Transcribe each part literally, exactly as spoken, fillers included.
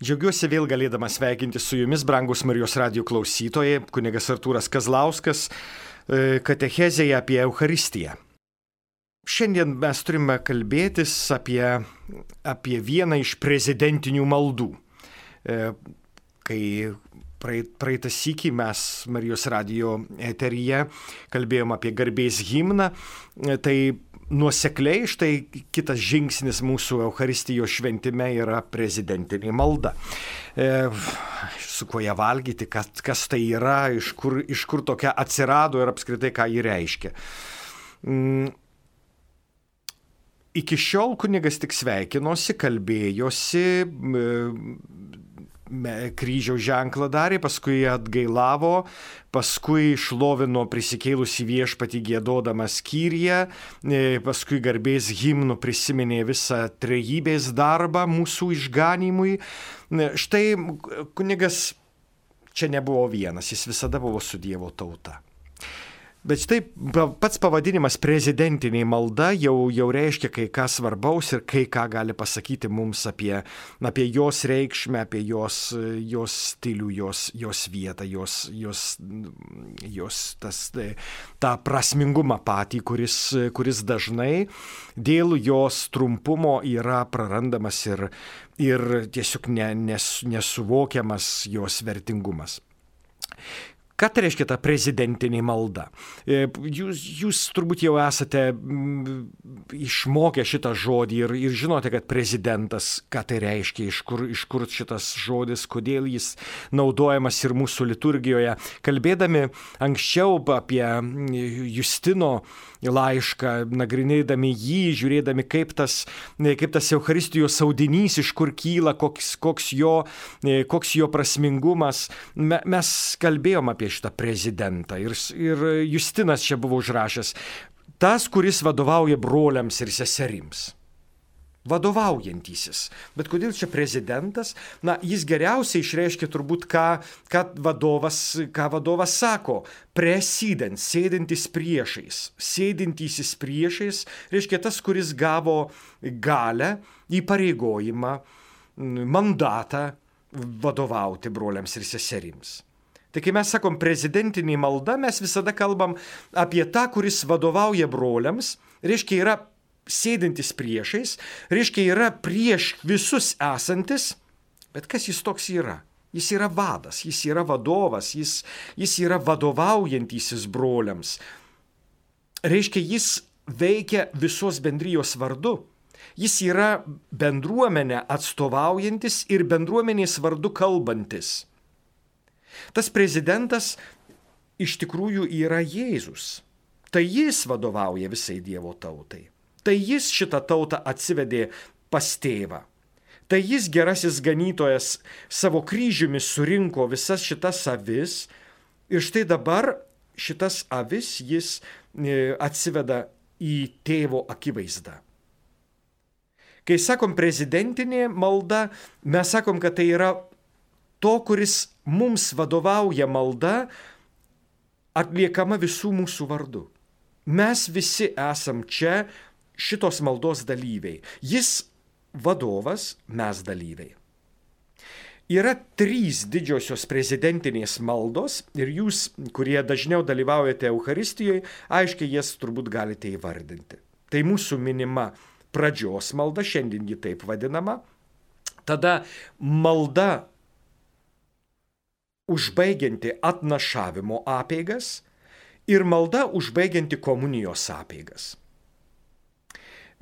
Džiaugiuosi vėl galėdamas sveikinti su jumis, brangus Marijos radijo klausytojai, kunigas Artūras Kazlauskas, katechezėje apie Eucharistiją. Šiandien mes turime kalbėtis apie, apie vieną iš prezidentinių maldų. Kai praeitą sykį mes Marijos radijo eteryje kalbėjom apie garbės himną, tai nuosekliai štai kitas žingsnis mūsų Eucharistijos šventime yra prezidentinė malda. E, su kuo ją valgyti, kas, kas tai yra, iš kur, iš kur tokia atsirado ir apskritai ką ji reiškia. Mm. Iki šiol kunigas tik sveikinosi, kalbėjosi, kryžiaus ženklą darė, paskui atgailavo, paskui šlovino prisikėlusį viešpatį giedodamas Kyriją, paskui garbės himnu prisiminė visą trejybės darbą mūsų išganymui. Štai kunigas čia nebuvo vienas, jis visada buvo su Dievo tauta. Bet štai pats pavadinimas prezidentinė malda jau, jau reiškia kai ką svarbaus ir kai ką gali pasakyti mums apie, apie jos reikšmę, apie jos, jos stilių, jos, jos vietą, jos, jos, jos tas, tą prasmingumą patį, kuris, kuris dažnai dėl jos trumpumo yra prarandamas ir, ir tiesiog ne, nes, nesuvokiamas jos vertingumas. Ką tai reiškia ta prezidentinė malda? Jūs, jūs turbūt jau esate išmokę šitą žodį ir, ir žinote, kad prezidentas, ką tai reiškia, iš kur, iš kur šitas žodis, kodėl jis naudojamas ir mūsų liturgijoje. Kalbėdami anksčiau apie Justino laišką, nagrinėdami jį, žiūrėdami, kaip tas, kaip tas Eucharistijos audinys, iš kur kyla, koks, koks, jo, koks jo prasmingumas, mes kalbėjom apie šitą prezidentą. Ir, ir Justinas čia buvo užrašęs, tas, kuris vadovauja broliams ir seserims. Vadovaujantysis. Bet kodėl čia prezidentas? Na, jis geriausiai išreiškia turbūt, ką, ką, vadovas, ką vadovas sako. President, sėdintis priešais. Sėdintysis priešais reiškia tas, kuris gavo galę, įpareigojimą, mandatą vadovauti broliams ir seserims. Tai kai mes sakom prezidentinė malda, mes visada kalbam apie tą, kuris vadovauja broliams, reiškia yra sėdintis priešais, reiškia yra prieš visus esantis, bet kas jis toks yra? Jis yra vadas, jis yra vadovas, jis, jis yra vadovaujantysis broliams. Reiškia, jis veikia visos bendrijos vardu. Jis yra bendruomenę atstovaujantis ir bendruomenės vardu kalbantis. Tas prezidentas iš tikrųjų yra Jėzus. Tai jis vadovauja visai Dievo tautai. Tai jis šitą tautą atsivedė pas tėvą. Tai jis gerasis ganytojas savo kryžiumi surinko visas šitas avis ir štai dabar šitas avis jis atsiveda į tėvo akivaizdą. Kai sakom prezidentinė malda, mes sakom, kad tai yra to, kuris mums vadovauja malda, atliekama visų mūsų vardu. Mes visi esam čia šitos maldos dalyviai. Jis vadovas, mes dalyviai. Yra trys didžiosios prezidentinės maldos ir jūs, kurie dažniau dalyvaujate Eucharistijoje, aiškiai jas turbūt galite įvardinti. Tai mūsų minima pradžios malda, šiandien ji taip vadinama. Tada malda užbaigianti atnašavimo apeigas ir malda užbaigianti komunijos apeigas.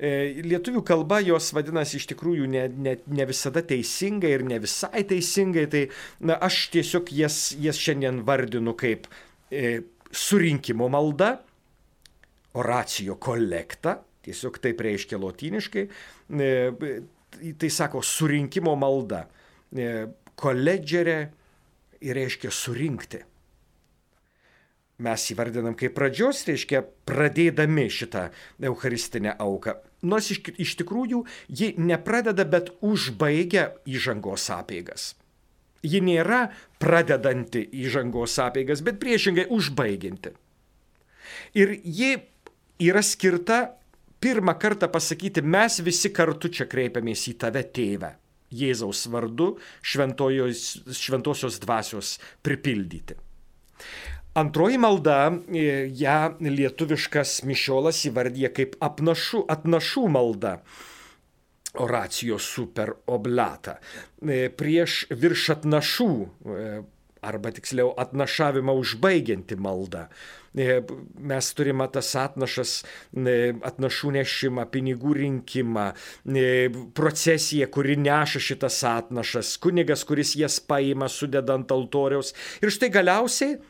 Lietuvių kalba jos vadinasi iš tikrųjų ne, ne, ne visada teisingai ir ne visai teisingai, tai na, aš tiesiog jas, jas šiandien vardinu kaip e, surinkimo malda, oracijo kolekta, tiesiog taip reiškia lotyniškai, e, tai sako surinkimo malda, e, koledžerė reiškia surinkti. Mes įvardinam kaip pradžios, reiškia pradėdami šitą eucharistinę auką. Nors iš, iš tikrųjų ji nepradeda, bet užbaigia įžangos apeigas. Ji nėra pradedanti įžangos apeigas, bet priešingai užbaigianti. Ir ji yra skirta pirmą kartą pasakyti, mes visi kartu čia kreipiamės į tave, tėvę. Jėzaus vardu šventojos, šventosios dvasios pripildyti. Antroji malda, ją lietuviškas mišiolas įvardyja kaip apnašų, atnašų malda. Oracijo super oblata. Prieš virš atnašų, arba tiksliau atnašavimą užbaigianti malda. Mes turime tas atnašas, atnašų nešimą, pinigų rinkimą, procesiją, kuri neša šitas atnašas, kunigas, kuris jas paima, sudeda ant altoriaus. Ir štai galiausiai,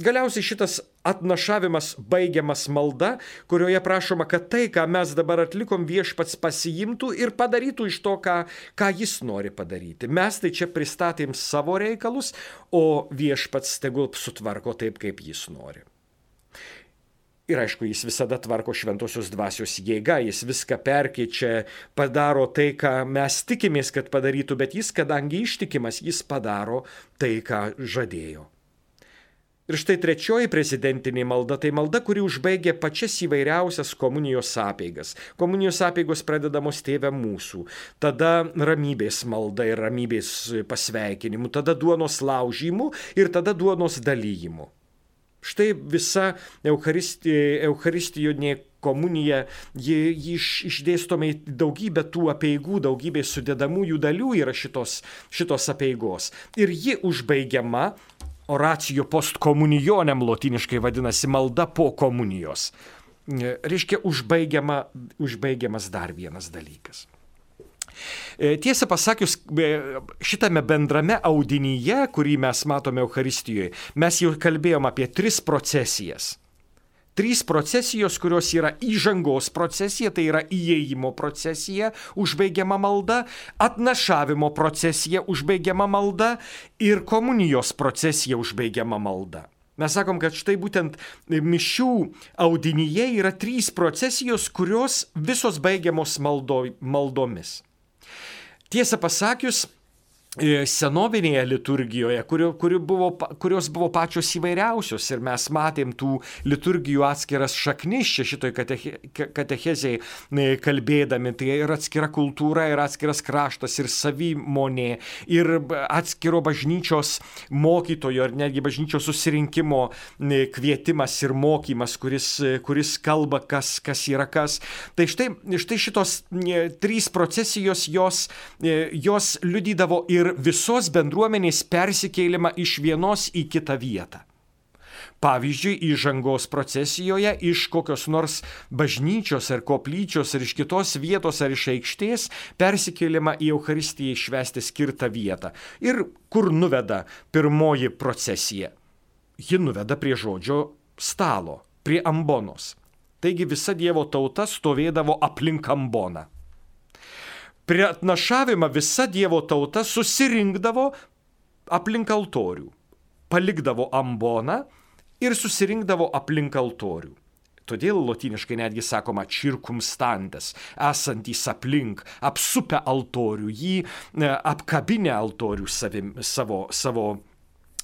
galiausiai šitas atnašavimas baigiamas malda, kurioje prašoma, kad tai, ką mes dabar atlikom, viešpats pasiimtų ir padarytų iš to, ką, ką jis nori padaryti. Mes tai čia pristatėm savo reikalus, o viešpats tegul sutvarko taip, kaip jis nori. Ir aišku, jis visada tvarko šventosios dvasios jėga, jis viską perkeičia, padaro tai, ką mes tikimės, kad padarytų, bet jis, kadangi ištikimas, jis padaro tai, ką žadėjo. Ir štai trečioji prezidentinė malda, tai malda, kuri užbaigia pačias įvairiausias komunijos apeigas. Komunijos apeigos pradedamos Tėve mūsų, tada ramybės malda ir ramybės pasveikinimų, tada duonos laužymų ir tada duonos dalyjimų. Štai visa Eucharisti, Eucharistinė komunija, ji, ji išdėstoma į daugybę tų apeigų, daugybė sudedamųjų dalių yra šitos, šitos apeigos. Ir ji užbaigiama oracijo post komunionėm, lotiniškai vadinasi malda po komunijos. Reiškia, užbaigiama, užbaigiamas dar vienas dalykas. Tiesą pasakius, šitame bendrame audinyje, kurį mes matome Eucharistijoje, mes jau kalbėjom apie tris procesijas. Trys procesijos, kurios yra įžangos procesija, tai yra įėjimo procesija, užbaigiama malda, atnašavimo procesija, užbaigiama malda ir komunijos procesija, užbaigiama malda. Mes sakom, kad štai būtent mišių audinyje yra trys procesijos, kurios visos baigiamos maldo, maldomis. Tiesą pasakius, senovinėje liturgijoje, kurio, kurio buvo, kurios buvo pačios įvairiausios ir mes matėm tų liturgijų atskiras šaknis čia šitoj kateche, katechezėje kalbėdami, tai ir atskira kultūra, ir atskiras kraštas, ir savimonė, ir atskiro bažnyčios mokytojo, ir netgi bažnyčios susirinkimo kvietimas ir mokymas, kuris, kuris kalba, kas, kas yra kas. Tai štai, štai šitos trys procesijos, jos, jos liudydavo ir visos bendruomenės persikėlimą iš vienos į kitą vietą. Pavyzdžiui, įžangos procesijoje iš kokios nors bažnyčios ar koplyčios ar iš kitos vietos ar iš aikštės persikėlimą į Eucharistiją švęsti skirtą vietą. Ir kur nuveda pirmoji procesija? Ji nuveda prie žodžio stalo, prie ambonos. Taigi visa Dievo tauta stovėdavo aplink amboną. Prie atnašavimą visa Dievo tauta susirinkdavo aplink altorių, palikdavo amboną ir susirinkdavo aplink altorių. Todėl lotiniškai netgi sakoma circumstantes, esantys aplink, apsupę altorių, jį apkabinę altorių savim, savo, savo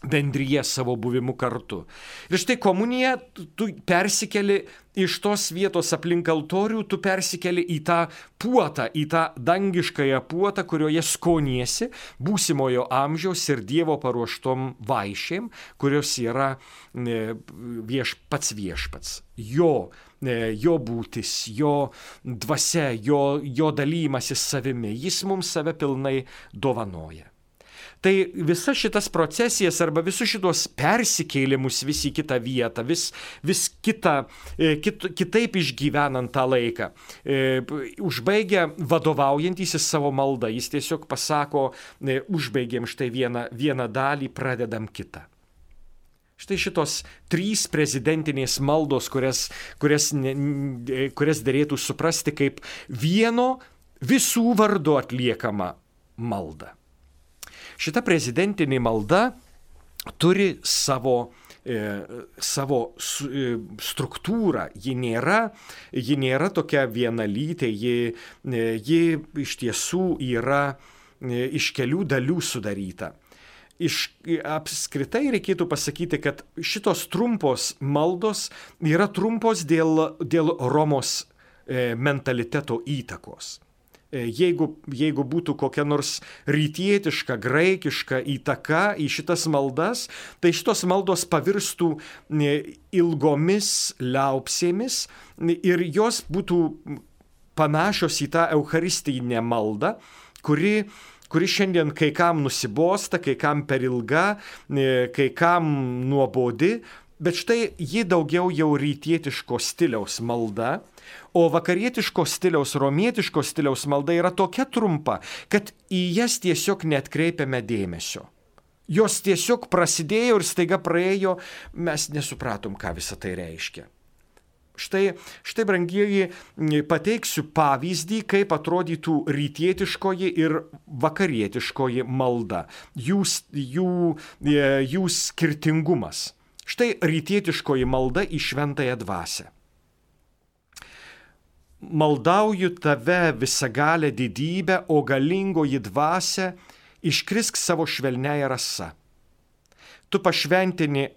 bendryje, savo buvimu kartu. Ir štai komunija, tu persikeli iš tos vietos aplink altorių, tu persikeli į tą puotą, į tą dangiškąją puotą, kurioje skoniesi būsimojo amžiaus ir Dievo paruoštom vaišėm, kurios yra vieš, pats viešpats. Jo, jo būtis, jo dvasia, jo, jo dalymasis savimi, jis mums save pilnai dovanoja. Tai visas šitas procesijas arba visus šitos persikėlimus vis į kitą vietą, vis, vis kitą, kit, kitaip išgyvenant tą laiką, e, užbaigia vadovaujantysis savo maldą. Jis tiesiog pasako, e, užbaigiam štai vieną, vieną dalį, pradedam kitą. Štai šitos trys prezidentinės maldos, kurias, kurias, kurias derėtų suprasti kaip vieno visų vardu atliekama malda. Šita prezidentinė malda turi savo, e, savo su, e, struktūrą. Ji nėra, ji nėra tokia vienalytė, ji, e, ji iš tiesų yra e, iš kelių dalių sudaryta. Iš, apskritai reikėtų pasakyti, kad šitos trumpos maldos yra trumpos dėl, dėl Romos e, mentaliteto įtakos. Jeigu, jeigu būtų kokia nors rytietiška, graikiška įtaka į šitas maldas, tai šitos maldos pavirstų ilgomis liaupsėmis ir jos būtų panašios į tą eucharistinę maldą, kuri, kuri šiandien kai kam nusibosta, kai kam per ilga, kai kam nuobodi, bet štai ji daugiau jau rytietiško stiliaus malda, o vakarietiško stiliaus, romietiško stiliaus malda yra tokia trumpa, kad į jas tiesiog neatkreipiame dėmesio. Jos tiesiog prasidėjo ir staiga praėjo, mes nesupratom, ką visą tai reiškia. Štai, štai brangieji, pateiksiu pavyzdį, kaip atrodytų rytietiškoji ir vakarietiškoji malda, jų, jų, jų skirtingumas. Štai rytietiškoji malda į šventąją dvasią. Maldauju tave visagalę didybę, o galingoji dvasia, iškrisk savo švelniąją rasa. Tu pašventini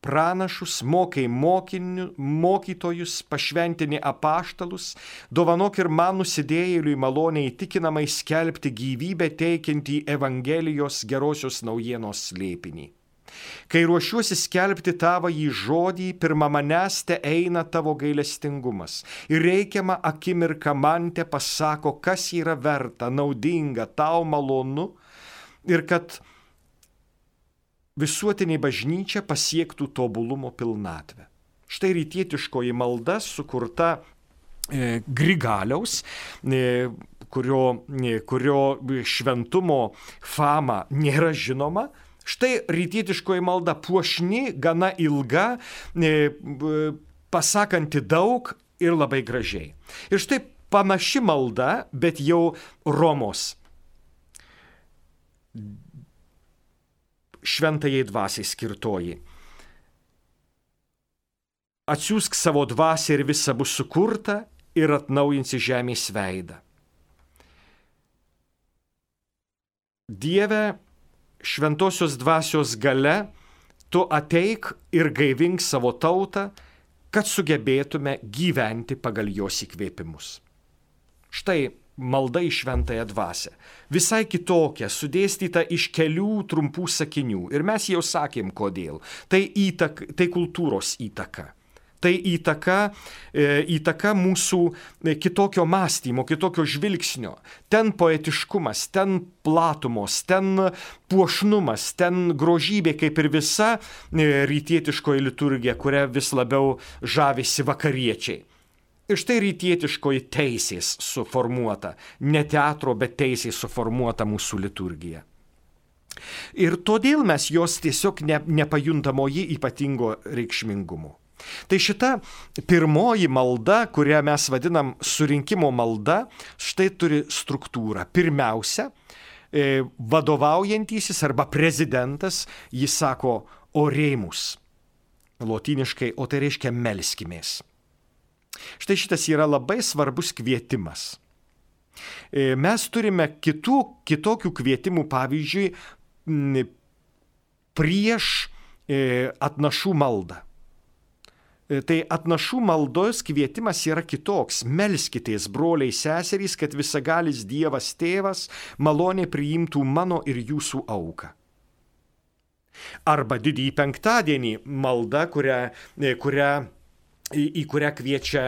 pranašus, mokai mokinių, mokytojus, pašventini apaštalus, dovanok ir man nusidėjėliui maloniai įtikinamai skelbti gyvybę teikiantį Evangelijos gerosios naujienos slėpinį. Kai ruošiuosi skelbti tavąjį žodį, pirma manęs te eina tavo gailestingumas ir reikiamą akimirką man te pasako, kas yra verta, naudinga, tau malonu ir kad visuotinė bažnyčia pasiektų tobulumo pilnatvę. Štai rytietiškoji malda sukurta e, Grigaliaus, e, kurio, e, kurio šventumo fama nėra žinoma. Štai rytietiškoji malda puošni, gana ilga, pasakanti daug ir labai gražiai. Ir štai panaši malda, bet jau Romos šventajai dvasiai skirtoji. Atsiųsk savo dvasią ir visa bus sukurta ir atnaujinsi žemės veidą. Dieve, šventosios dvasios gale, tu ateik ir gaivink savo tautą, kad sugebėtume gyventi pagal jos įkvėpimus. Štai malda į šventąją dvasią. Visai kitokia, sudėstyta iš kelių trumpų sakinių. Ir mes jau sakėm, kodėl. Tai, įtaka, tai kultūros įtaka. Tai įtaka, e, įtaka mūsų kitokio mąstymo, kitokio žvilgsnio. Ten poetiškumas, ten platumos, ten puošnumas, ten grožybė, kaip ir visa e, rytietiškoji liturgija, kuria vis labiau žavisi vakariečiai. Ir štai rytietiškoji teisės suformuota, ne teatro, bet teisės suformuota mūsų liturgija. Ir todėl mes jos tiesiog ne, nepajuntamoji ypatingo reikšmingumo. Tai šita pirmoji malda, kurią mes vadinam surinkimo malda, štai turi struktūrą. Pirmiausia, vadovaujantysis arba prezidentas, jis sako oremus, lotyniškai, o tai reiškia melskimės. Štai šitas yra labai svarbus kvietimas. Mes turime kitų, kitokių kvietimų, pavyzdžiui, prieš atnašų maldą. Tai atnašų maldos kvietimas yra kitoks. Melskitės, broliai seserys, kad visagalis Dievas tėvas maloniai priimtų mano ir jūsų auką. Arba didįjį penktadienį malda, kurią, kurią, į, į kurią kviečia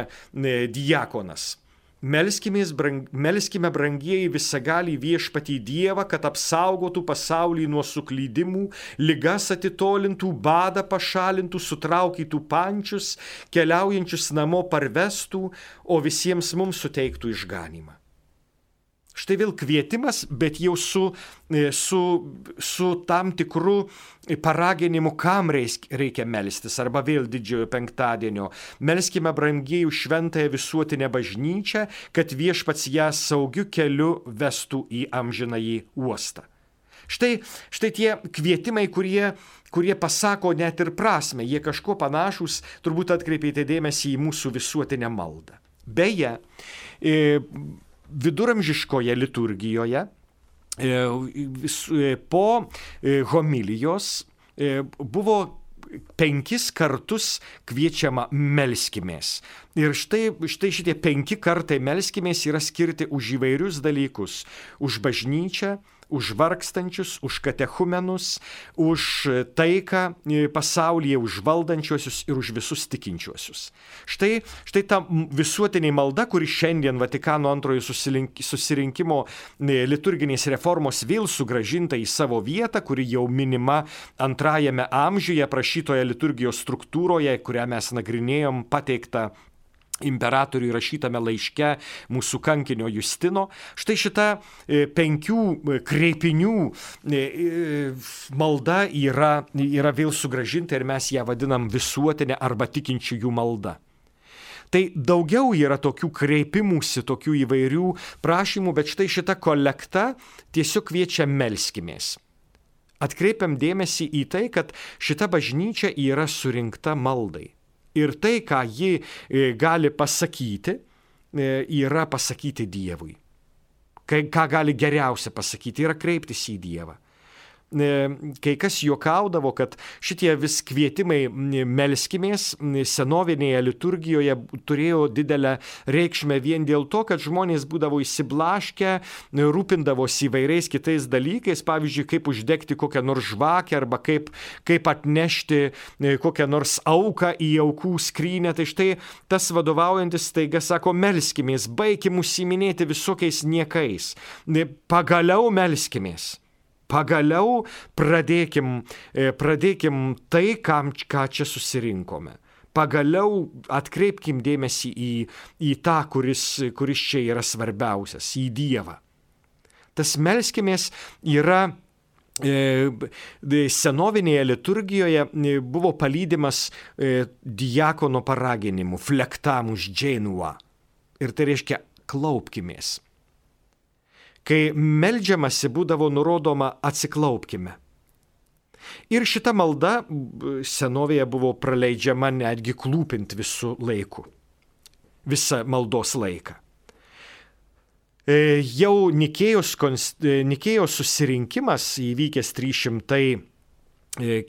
diakonas. Melskimės, brang, melskime brangieji visagalį viešpatį Dievą, kad apsaugotų pasaulį nuo suklydimų, ligas atitolintų, badą pašalintų, sutraukytų pančius, keliaujančius namo parvestų, o visiems mums suteiktų išganymą. Štai vėl kvietimas, bet jau su, su, su tam tikru paraginimu, kam reikia melstis, arba vėl didžiojo penktadienio. Melskime brangieji šventąją visuotinę bažnyčią, kad viešpats ją saugiu keliu vestų į amžinąjį uostą. Štai, štai tie kvietimai, kurie, kurie pasako net ir prasme, jie kažko panašus, turbūt atkreipėte dėmesį į mūsų visuotinę maldą. Beje, e, viduramžiškoje liturgijoje po homilijos buvo penkis kartus kviečiama melskimės. Ir štai, štai šitie penki kartai melskimės yra skirti už įvairius dalykus. Už bažnyčią, už vargstančius, už katechumenus, už taiką pasaulyje, už valdančiuosius ir už visus tikinčiuosius. Štai, štai ta visuotinė malda, kuri šiandien Vatikano antrojo susirinkimo liturginės reformos vėl sugrąžinta į savo vietą, kuri jau minima antrajame amžiuje prašytoje liturgijos struktūroje, kurią mes nagrinėjom, pateikta imperatoriui rašytame laiške mūsų kankinio Justino. Štai šita penkių kreipinių malda yra, yra vėl sugrąžinta ir mes ją vadinam visuotinė arba tikinčiųjų malda. Tai daugiau yra tokių kreipimųsi, tokių įvairių prašymų, bet štai šita kolekta tiesiog kviečia melskimės. Atkreipiam dėmesį į tai, kad šita bažnyčia yra surinkta maldai. Ir tai, ką ji gali pasakyti, yra pasakyti Dievui. Ką gali geriausia pasakyti, yra kreiptis į Dievą. Kai kas juokaudavo, kad šitie vis kvietimai melskimės senovinėje liturgijoje turėjo didelę reikšmę vien dėl to, kad žmonės būdavo įsiblaškę, rūpindavosi įvairiais kitais dalykais, pavyzdžiui, kaip uždegti kokią nors žvakę arba kaip, kaip atnešti kokią nors auką į aukų skrynę. Tai štai tas vadovaujantis staiga sako, melskimės, baikim užsiiminėti visokiais niekais, pagaliau melskimės. Pagaliau pradėkim, pradėkim tai, kam, ką čia susirinkome. Pagaliau atkreipkim dėmesį į, į tą, kuris, kuris čia yra svarbiausias, į Dievą. Tas melskimės yra senovinėje liturgijoje buvo palydimas diakono paraginimu, flectamus genua. Ir tai reiškia klaupkimės. Kai meldžiamasi būdavo nurodoma atsiklaupkime. Ir šita malda senovėje buvo praleidžiama netgi klūpint visų laikų, visą maldos laiką. Jau Nikėjos, Nikėjos susirinkimas įvykęs trys šimtai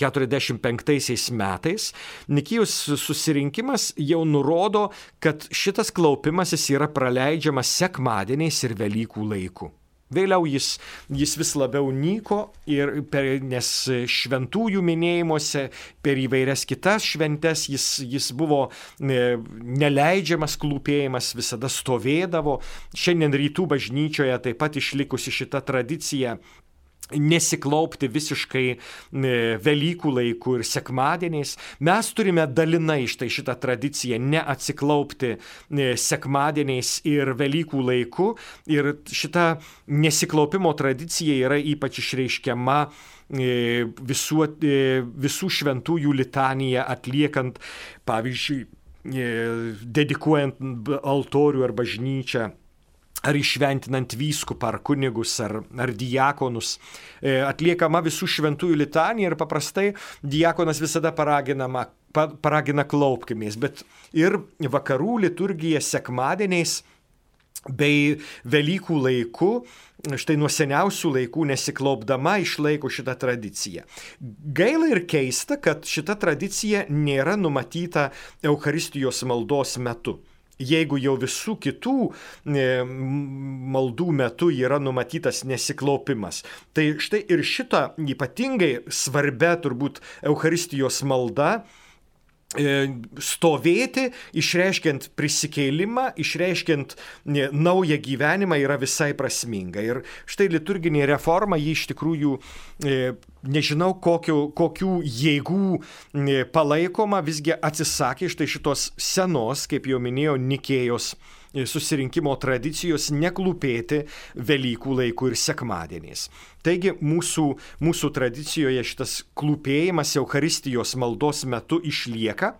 keturiasdešimt penktaisiais metais, Nikėjos susirinkimas jau nurodo, kad šitas klaupimasis yra praleidžiamas sekmadieniais ir Velykų laiku. Vėliau jis, jis vis labiau nyko, ir per, nes šventųjų minėjimuose, per įvairias kitas šventes jis, jis buvo neleidžiamas klūpėjimas, visada stovėdavo. Šiandien rytų bažnyčioje taip pat išlikusi šita tradicija nesiklaupti visiškai Velykų laikų ir sekmadieniais. Mes turime dalinai štai šitą tradiciją neatsiklaupti sekmadieniais ir Velykų laiku. Ir šita nesiklaupimo tradicija yra ypač išreiškiama visų, visų šventųjų litaniją atliekant, pavyzdžiui, dedikuojant altorių ar bažnyčią, ar išventinant vyskupą, ar kunigus, ar, ar diakonus. Atliekama visų šventųjų litanija ir paprastai diakonas visada paraginama, paragina klaupkimės, bet ir vakarų liturgija sekmadieniais bei Velykų laiku, štai nuo seniausių laikų nesiklaupdama, išlaiko šitą tradiciją. Gaila ir keista, kad šita tradicija nėra numatyta Eucharistijos maldos metu. Jeigu jau visų kitų maldų metu yra numatytas nesiklaupimas. Tai štai ir šitą ypatingai svarbia turbūt Eucharistijos malda stovėti, išreiškiant prisikėlimą, išreiškiant naują gyvenimą yra visai prasminga. Ir štai liturginė reforma, ji iš tikrųjų, nežinau kokių, kokių jėgų palaikoma, visgi atsisakė štai šitos senos, kaip jau minėjau, Nikėjos susirinkimo tradicijos neklūpėti Velykų laikų ir sekmadieniais. Taigi mūsų, mūsų tradicijoje šitas klūpėjimas Eucharistijos maldos metu išlieka,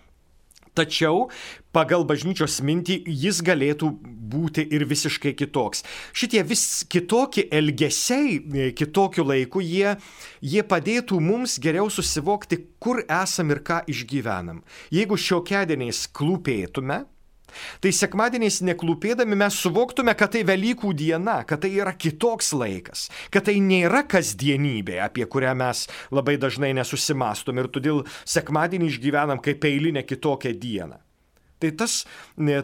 tačiau pagal bažnyčios mintį jis galėtų būti ir visiškai kitoks. Šitie vis kitokie elgesiai kitokiu laiku, jie, jie padėtų mums geriau susivokti, kur esam ir ką išgyvenam. Jeigu šiokiadieniais klūpėtume, Tai sekmadieniais neklūpėdami mes suvoktume, kad tai Velykų diena, kad tai yra kitoks laikas, kad tai nėra kasdienybė, apie kurią mes labai dažnai nesusimastom ir todėl sekmadienį išgyvenam kaip eilinę kitokią dieną. Tai tas,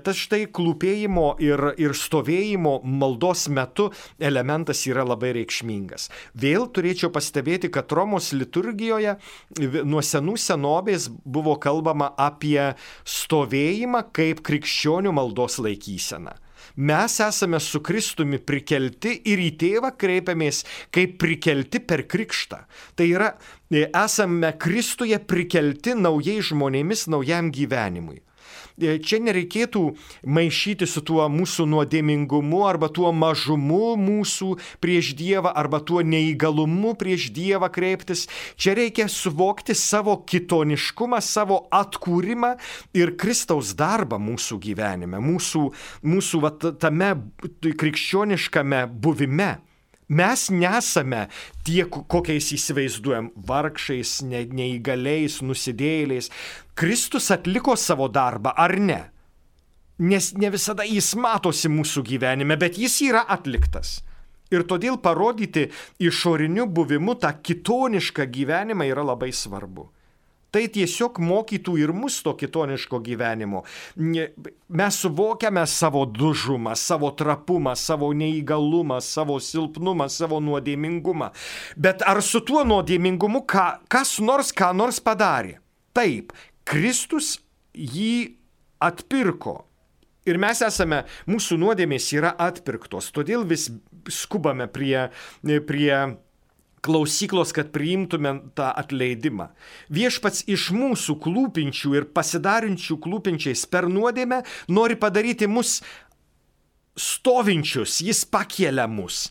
tas štai klūpėjimo ir, ir stovėjimo maldos metu elementas yra labai reikšmingas. Vėl turėčiau pastebėti, kad Romos liturgijoje nuo senų senovės buvo kalbama apie stovėjimą kaip krikščionių maldos laikyseną. Mes esame su Kristumi prikelti ir į tėvą kreipiamės kaip prikelti per krikštą. Tai yra, esame Kristuje prikelti naujais žmonėmis naujam gyvenimui. Čia nereikėtų maišyti su tuo mūsų nuodėmingumu arba tuo mažumu mūsų prieš Dievą arba tuo neįgalumu prieš Dievą kreiptis. Čia reikia suvokti savo kitoniškumą, savo atkūrimą ir Kristaus darbą mūsų gyvenime, mūsų, mūsų va, tame krikščioniškame buvime. Mes nesame tie, kokiais įsivaizduojam, vargšais, ne, neįgaliais, nusidėjėliais. Kristus atliko savo darbą, ar ne? Nes ne visada jis matosi mūsų gyvenime, bet jis yra atliktas. Ir todėl parodyti išoriniu buvimu tą kitonišką gyvenimą yra labai svarbu. Tai tiesiog mokytų ir mus to kitoniško gyvenimo. Mes suvokiame savo dužumą, savo trapumą, savo neįgalumą, savo silpnumą, savo nuodėmingumą. Bet ar su tuo nuodėmingumu ką, kas nors ką nors padarė? Taip, Kristus jį atpirko. Ir mes esame, mūsų nuodėmės yra atpirktos. Todėl vis skubame prie... prie klausyklos, kad priimtume tą atleidimą. Viešpats iš mūsų klūpinčių ir pasidarinčių klūpinčiais per nuodėmę nori padaryti mus stovinčius, jis pakelia mus.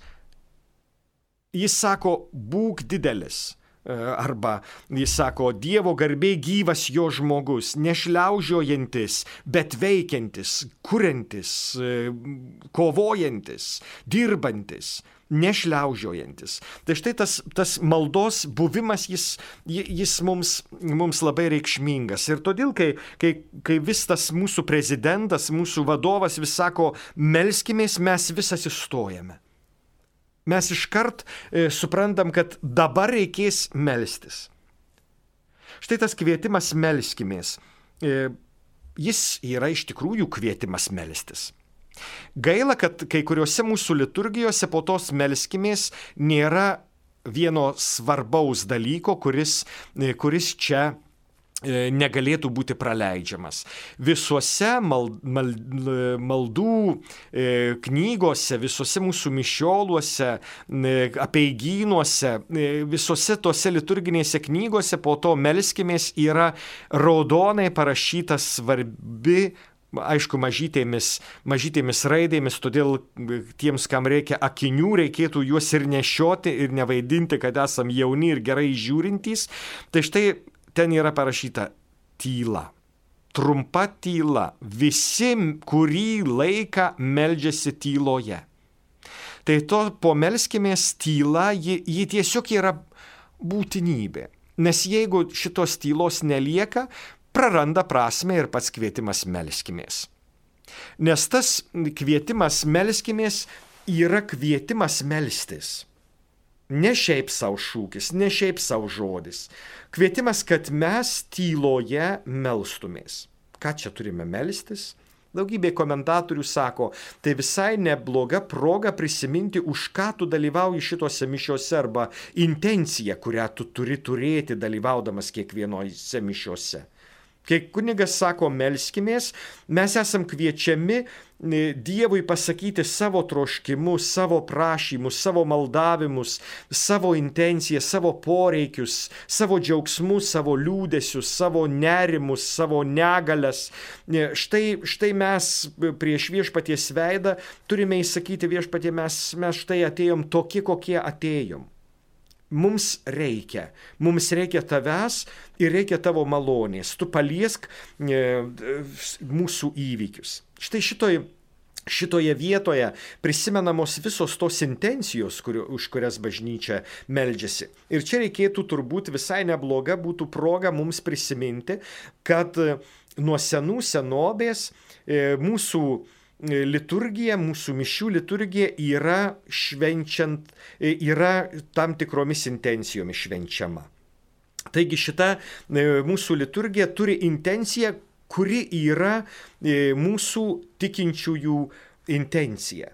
Jis sako, būk didelis. Arba jis sako, Dievo garbė gyvas jo žmogus, nešliaužiojantis, bet veikiantis, kuriantis, kovojantis, dirbantis. Nešliaužiojantis. Tai štai tas, tas maldos buvimas, jis, jis mums, mums labai reikšmingas. Ir todėl, kai, kai, kai vis tas mūsų prezidentas, mūsų vadovas vis sako, melskimės, mes vis atsistojame. Mes iškart e, suprantam, kad dabar reikės melstis. Štai tas kvietimas melskimės. E, jis yra iš tikrųjų kvietimas melstis. Gaila, kad kai kuriuose mūsų liturgijose po tos melskimės nėra vieno svarbaus dalyko, kuris, kuris čia negalėtų būti praleidžiamas. Visuose mal, mal, maldų knygose, visuose mūsų mišioluose, apeigynuose, visuose tose liturginėse knygose po to melskimės yra raudonai parašyta svarbi, aišku, mažytėmis, mažytėmis raidėmis, todėl tiems, kam reikia akinių, reikėtų juos ir nešioti ir nevaidinti, kad esam jauni ir gerai žiūrintys. Tai štai ten yra parašyta tyla. Trumpa tyla. Visi, kurį laiką meldžiasi tyloje. Tai to pomelskimės tyla, ji, ji tiesiog yra būtinybė. Nes jeigu šitos tylos nelieka, praranda prasmę ir pats kvietimas melskimės. Nes tas kvietimas melskimės yra kvietimas melstis. Ne šiaip savo šūkis, ne šiaip savo žodis. Kvietimas, kad mes tyloje melstumės. Ką čia turime melstis? Daugybė komentatorių sako, tai visai nebloga proga prisiminti, už ką tu dalyvauji šitose mišiose arba intenciją, kurią tu turi turėti dalyvaudamas kiekvienose mišiose. Kai kunigas sako melskimės, mes esam kviečiami Dievui pasakyti savo troškimus, savo prašymus, savo maldavimus, savo intencijas, savo poreikius, savo džiaugsmus, savo liūdesius, savo nerimus, savo negalias. Štai, štai mes prieš viešpaties veidą turime įsakyti viešpatie, mes, mes štai atėjom tokie, kokie atėjom. Mums reikia, mums reikia tavęs ir reikia tavo malonės. Tu paliesk e, mūsų įvykius. Štai šitoj, šitoje vietoje prisimenamos visos tos intencijos, kur, už kurias bažnyčia meldžiasi. Ir čia reikėtų turbūt visai nebloga būtų proga mums prisiminti, kad nuo senų senovės mūsų liturgija, mūsų mišių liturgija yra švenčiant, yra tam tikromis intencijomis švenčiama. Taigi šita mūsų liturgija turi intenciją, kuri yra mūsų tikinčiųjų intencija.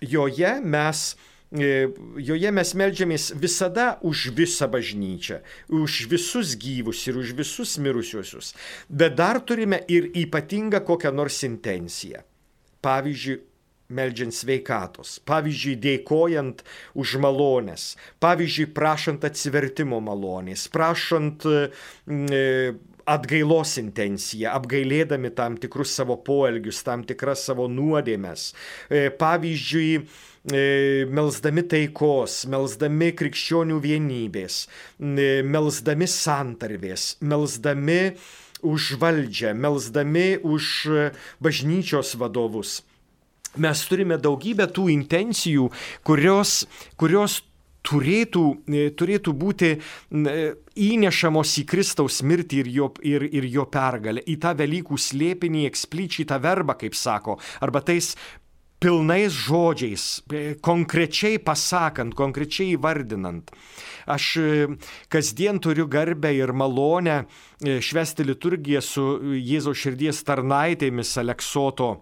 Joje mes Joje mes meldžiamės visada už visą bažnyčią, už visus gyvus ir už visus mirusiuosius, bet dar turime ir ypatingą kokią nors intenciją. Pavyzdžiui, meldžiant sveikatos, pavyzdžiui, dėkojant už malonės, pavyzdžiui, prašant atsivertimo malonės, prašant atgailos intenciją, apgailėdami tam tikrus savo poelgius, tam tikras savo nuodėmes, pavyzdžiui, melsdami taikos, melsdami krikščionių vienybės, melsdami santarvės, melsdami už valdžią, melsdami už bažnyčios vadovus. Mes turime daugybę tų intencijų, kurios, kurios turėtų, turėtų būti įnešamos į Kristaus mirtį ir jo, ir, ir jo pergalę, į tą Velykų slėpinį, eksplicitą verbą, kaip sako, arba tais pilnais žodžiais, konkrečiai pasakant, konkrečiai įvardinant. Aš kasdien turiu garbę ir malonę švęsti liturgiją su Jėzaus širdies tarnaitėmis Aleksoto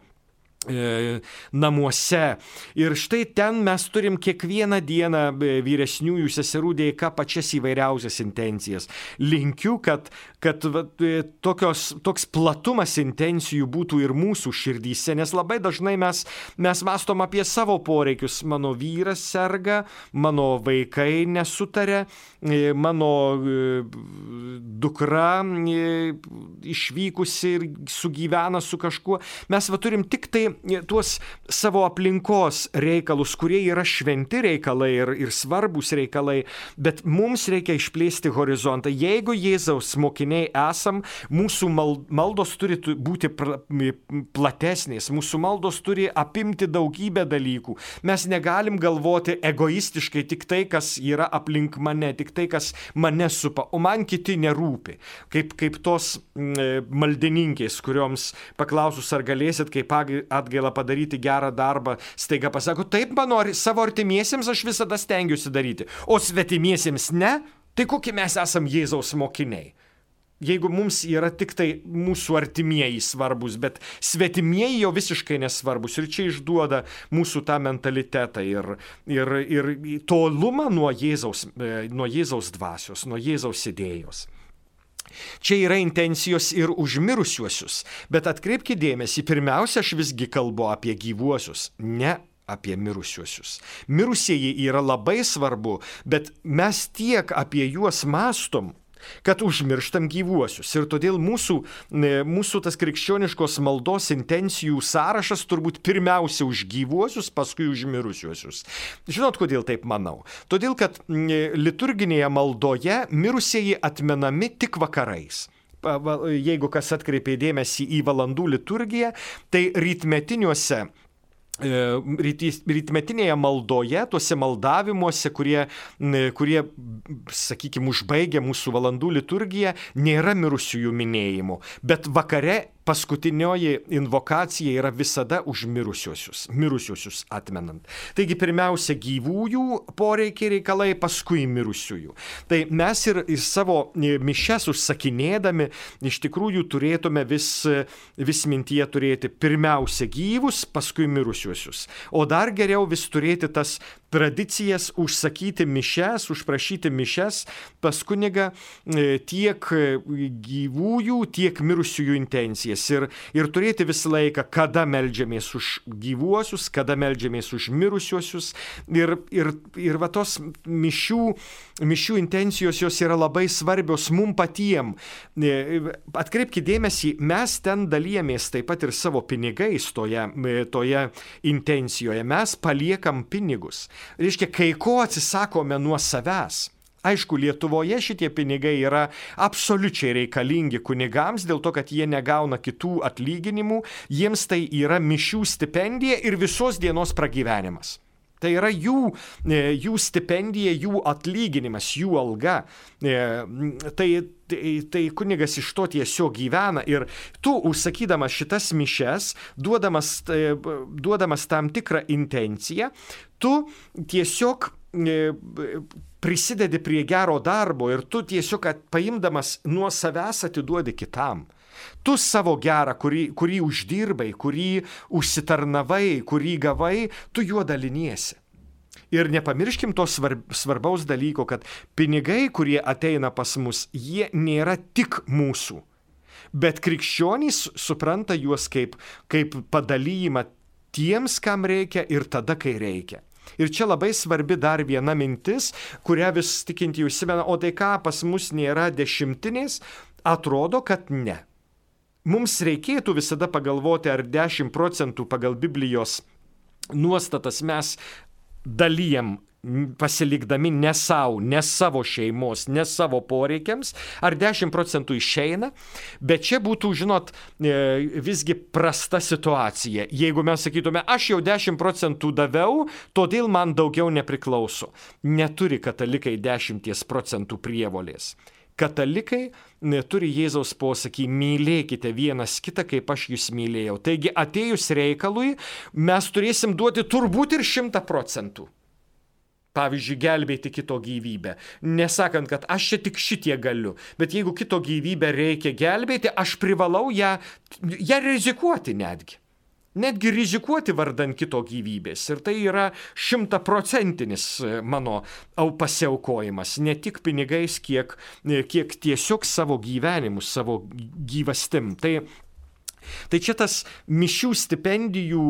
namuose. Ir štai ten mes turim kiekvieną dieną vyresniųjų seserų dėka pačias įvairiausias intencijas. Linkiu, kad, kad tokios, toks platumas intencijų būtų ir mūsų širdyse, nes labai dažnai mes, mes mąstom apie savo poreikius. Mano vyras serga, mano vaikai nesutarė, mano dukra išvykusi ir sugyvena su kažkuo. Mes va turim tik tai tuos savo aplinkos reikalus, kurie yra šventi reikalai ir, ir svarbus reikalai, bet mums reikia išplėsti horizontą. Jeigu Jėzaus mokiniai esam, mūsų maldos turi būti platesnės, mūsų maldos turi apimti daugybę dalykų. Mes negalim galvoti egoistiškai tik tai, kas yra aplink mane, tik tai, kas mane supa, o man kiti nerūpi. Kaip, kaip tos maldininkės, kurioms paklausus, ar galėsit kaip atgailą padaryti gerą darbą, staiga pasako, taip, mano savo artimiesiems aš visada stengiuosi daryti, o svetimiesiems ne, tai kokie mes esam Jėzaus mokiniai. Jeigu mums yra tik tai mūsų artimieji svarbus, bet svetimieji jau visiškai nesvarbus. Ir čia išduoda mūsų tą mentalitetą ir, ir, ir tolumą nuo Jėzaus, nuo Jėzaus dvasios, nuo Jėzaus idėjos. Čia yra intencijos ir už mirusiuosius, bet atkreipkite dėmesį, pirmiausia, aš visgi kalbu apie gyvuosius, ne apie mirusiuosius. Mirusieji yra labai svarbu, bet mes tiek apie juos mąstom, kad užmirštam gyvuosius. Ir todėl mūsų, mūsų tas krikščioniškos maldos intencijų sąrašas turbūt pirmiausia už gyvuosius, paskui už mirusiuosius. Žinot, kodėl taip manau? Todėl, kad liturginėje maldoje mirusieji atmenami tik vakarais. Jeigu kas atkreipė dėmesį į valandų liturgiją, tai rytmetiniuose rytmetinėje maldoje, tuose maldavimuose, kurie, kurie sakykime, užbaigia mūsų valandų liturgiją, nėra mirusiųjų minėjimų, bet vakare paskutinioji invokacija yra visada už mirusiuosius, mirusiuosius atmenant. Taigi pirmiausia gyvųjų poreikiai reikalai, paskui mirusiųjų. Tai mes ir, ir savo mišias užsakinėdami iš tikrųjų turėtume vis, vis mintyje turėti pirmiausia gyvus, paskui mirusiuosius. O dar geriau vis turėti tas tradicijas užsakyti mišias, užprašyti mišias pas kunigą tiek gyvųjų, tiek mirusiųjų intencijas. Ir, ir turėti visą laiką, kada meldžiamės už gyvuosius, kada meldžiamės už mirusiuosius. Ir, ir, ir va tos mišių, mišių intencijos jos yra labai svarbios mum patiem. Atkreipkite dėmesį, mes ten dalyjamės taip pat ir savo pinigais toje, toje intencijoje. Mes paliekam pinigus. Reiškia, kai ko atsisakome nuo savęs. Aišku, Lietuvoje šitie pinigai yra absoliučiai reikalingi kunigams, dėl to, kad jie negauna kitų atlyginimų, jiems tai yra mišių stipendija ir visos dienos pragyvenimas. Tai yra jų, jų stipendija, jų atlyginimas, jų alga. Tai, tai, tai kunigas iš to tiesiog gyvena ir tu, užsakydamas šitas mišes, duodamas, duodamas tam tikrą intenciją, tu tiesiog prisidedi prie gero darbo ir tu tiesiog paimdamas nuo savęs atiduodi kitam. Tu savo gerą, kurį, kurį uždirbai, kurį užsitarnavai, kurį gavai, tu juo daliniesi. Ir nepamirškim to svarb, svarbaus dalyko, kad pinigai, kurie ateina pas mus, jie nėra tik mūsų. Bet krikščionys supranta juos kaip, kaip padalijimą tiems, kam reikia ir tada, kai reikia. Ir čia labai svarbi dar viena mintis, kurią vis tikinti užsimena, o tai ką, pas mus nėra dešimtinės, atrodo, kad ne. Mums reikėtų visada pagalvoti, ar dešimt procentų pagal Biblijos nuostatas mes dalijam pasilikdami ne savo, ne savo šeimos, ne savo poreikiams, ar dešimt procentų išeina, bet čia būtų, žinot, visgi prasta situacija. Jeigu mes sakytume, aš jau dešimt procentų daviau, todėl man daugiau nepriklauso. Neturi katalikai dešimties procentų prievolės. Katalikai turi Jėzaus posakį, mylėkite vienas kitą, kaip aš jūs mylėjau. Taigi atėjus reikalui mes turėsim duoti turbūt ir šimtą procentų. Pavyzdžiui, gelbėti kito gyvybę. Nesakant, kad aš čia tik šitie galiu, bet jeigu kito gyvybę reikia gelbėti, aš privalau ją, ją rizikuoti netgi. Netgi rizikuoti vardan kito gyvybės. Ir tai yra šimtaprocentinis mano pasiaukojimas. Ne tik pinigais, kiek, kiek tiesiog savo gyvenimu, savo gyvastim. Tai Tai čia tas mišių stipendijų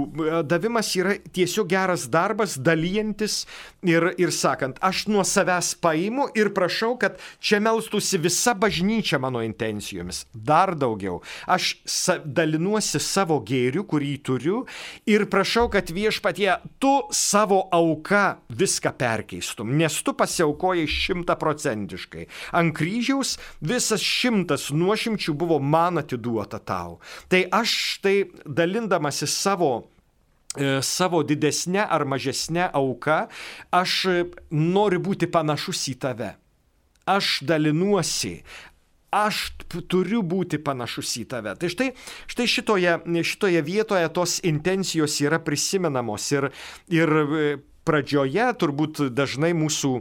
davimas yra tiesiog geras darbas, dalyjantis ir, ir sakant, aš nuo savęs paimu ir prašau, kad čia melstųsi visa bažnyčia mano intencijomis. Dar daugiau. Aš sa- dalinuosi savo gėriu, kurį turiu ir prašau, kad viešpatie tu savo auka viską perkeistum, nes tu pasiaukojai šimtaprocentiškai. Ant kryžiaus visas šimtas nuošimčių buvo man atiduota tau. Tai aš tai dalindamasi savo, savo didesnę ar mažesnę auką, aš noriu būti panašus į tave. Aš dalinuosi, aš turiu būti panašus į tave. Tai štai, štai šitoje, šitoje vietoje tos intencijos yra prisimenamos ir, ir pradžioje turbūt dažnai mūsų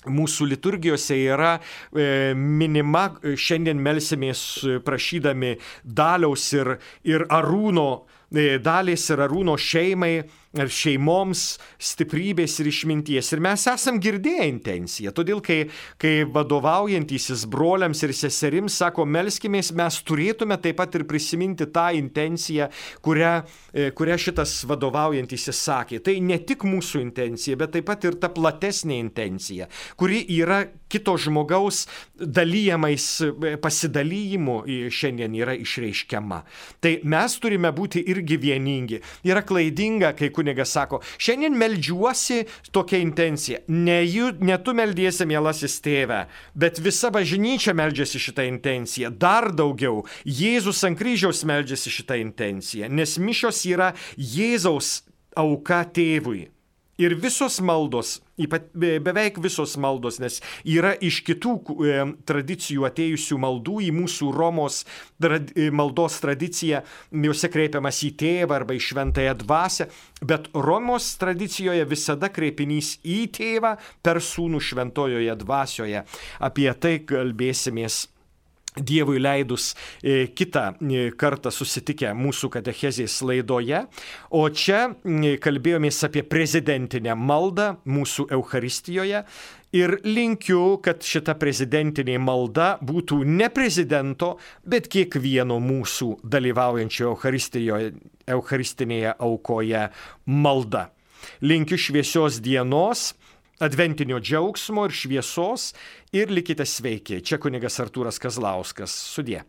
Mūsų liturgijose yra e, minima, šiandien melsimės prašydami Daliaus ir, ir Arūno, e, Dalės ir Arūno šeimai, ar šeimoms stiprybės ir išminties. Ir mes esam girdėję intenciją. Todėl, kai, kai vadovaujantysis broliams ir seserims sako, melskimės, mes turėtume taip pat ir prisiminti tą intenciją, kurią, kurią šitas vadovaujantysis sakė. Tai ne tik mūsų intencija, bet taip pat ir ta platesnė intencija, kuri yra kito žmogaus dalyjamais pasidalymu šiandien yra išreiškiama. Tai mes turime būti irgi vieningi. Yra klaidinga, kai kunigas sako, šiandien meldžiuosi tokia intencija. Ne, jų, ne tu meldiesi, mielasis tėve, bet visa bažnyčia meldžiasi šitą intenciją. Dar daugiau, Jėzus ant kryžiaus meldžiasi šitą intenciją, nes mišios yra Jėzaus auka tėvui. Ir visos maldos, beveik visos maldos, nes yra iš kitų e, tradicijų atėjusių maldų į mūsų Romos trad, maldos tradiciją, juose kreipiamas į tėvą arba į šventąją dvasią, bet Romos tradicijoje visada kreipinys į tėvą per sūnų šventojoje dvasioje. Apie tai kalbėsimės Dievui leidus e, kitą e, kartą susitikę mūsų katechezės laidoje, o čia e, kalbėjomės apie prezidentinę maldą mūsų Eucharistijoje ir linkiu, kad šita prezidentinė malda būtų ne prezidento, bet kiekvieno mūsų dalyvaujančio Eucharistijoje, Eucharistinėje aukoje malda. Linkiu šviesios dienos, adventinio džiaugsmo ir šviesos ir likite sveiki. Čia kunigas Artūras Kazlauskas. Sudie.